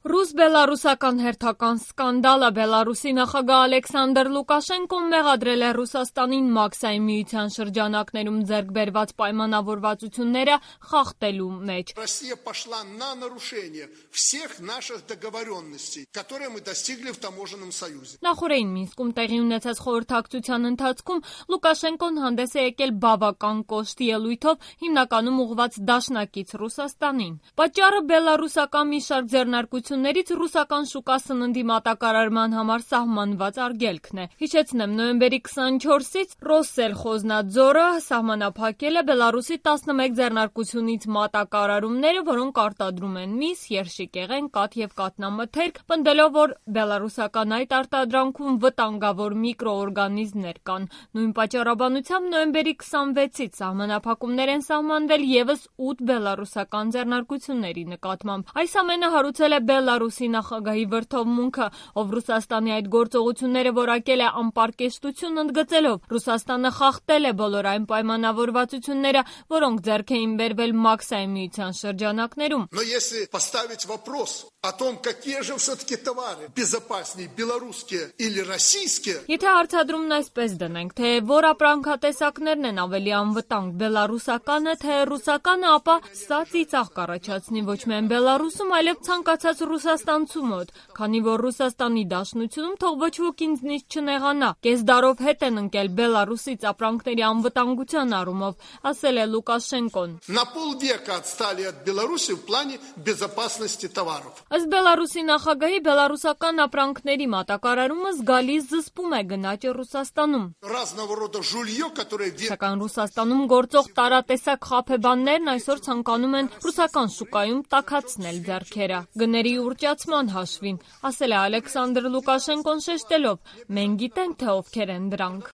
Ռուս-բելարուսական հերթական սկանդալը Բելարուսի նախագահ Ալեքսանդր Լուկաշենկոն մեղադրել է Ռուսաստանին Մաքսային միության շրջանակներում ձեռք բերված պայմանավորվածությունները խախտելու մեջ։ Россия пошла на нарушение всех наших договоренностей, которые мы достигли в таможенном союзе. Նախորդին Մինսկում տեղի ունեցած խորհրդակցության ընթացքում Լուկաշենկոն հանդես է եկել բավական կոշտ ելույթով, հիմնականում ուղղված դաշնակից Ռուսաստանին։ Պատճառը բելարուսական մի շարք ձեռնարկություններից ռուսական շուկա սննդի մատակարարման համար սահմանված արգելքն է։ Հիշեցնեմ, նոյեմբերի 24-ից Ռոսսելխոզնադզորը սահմանափակել է Բելարուսի 11 ձեռնարկությունից մատակարարումները, որոնք արտադրում են միս, երշիկեղեն, կաթ եւ կաթնամթերք, պնդելով, որ բելարուսական այդ արտադրանքում վտանգավոր միկրոօրգանիզմներ կան։ Նույն պատճառաբանությամբ նոյեմբերի 26-ից սահմանափակումներ են սահմանվել եւս 8 բելարուսական ձեռնարկությունների նկատմամբ։ Այս ամենը հարուցել է Բելարուսի նախագահի վրդովմունքը, ով Ռուսաստանի այդ գործողությունները որակել է անպարկեշտություն, ընդգծելով Ռուսաստանը խախտել է բոլոր այն պայմանավորվածությունները, որոնք ձեռք էին բերվել Մաքսային միության շրջանակներում։ Но если поставить вопрос о том, какие же все-таки товары безопаснее, белорусские или российские. Եթե հարցադրումն այսպես դնենք, թե որ ապրանքատեսակներն են ավելի անվտանգ, բելարուսականը, թե ռուսականը, ապա սա ծիծաղ կառաջացնի ոչ միայն Բելարուսում, այլև ցանկացած ռուսաստանցու մոտ, քանի որ Ռուսաստանի Դաշնությունում թող ոչ ոք ինձնից չնեղանա, կես դարով հետ են ընկել Բելարուսից ապրանքների անվտանգության առումով, ասել է Լուկաշենկոն։ На полвека отстали от Беларуси в плане безопасности товаров. Ըստ Բելարուսի նախագահի, բելարուսական ապրանքների մատակարարումը զգալի զսպում է գնաճը Ռուսաստանում։ Разного рода жулье, которое Սակայն Ռուսաստանում գործող տարատեսակ խաբեբաններն այսօր ցանկանում են ռուսական շուկայում տաքացնել ձեռքերը։ Գների ուռճացման հաշվին, ասել է Ալեքսանդր Լուկաշենկոն շեշտելով, մենք գիտենք, թե ովքեր են դրանք։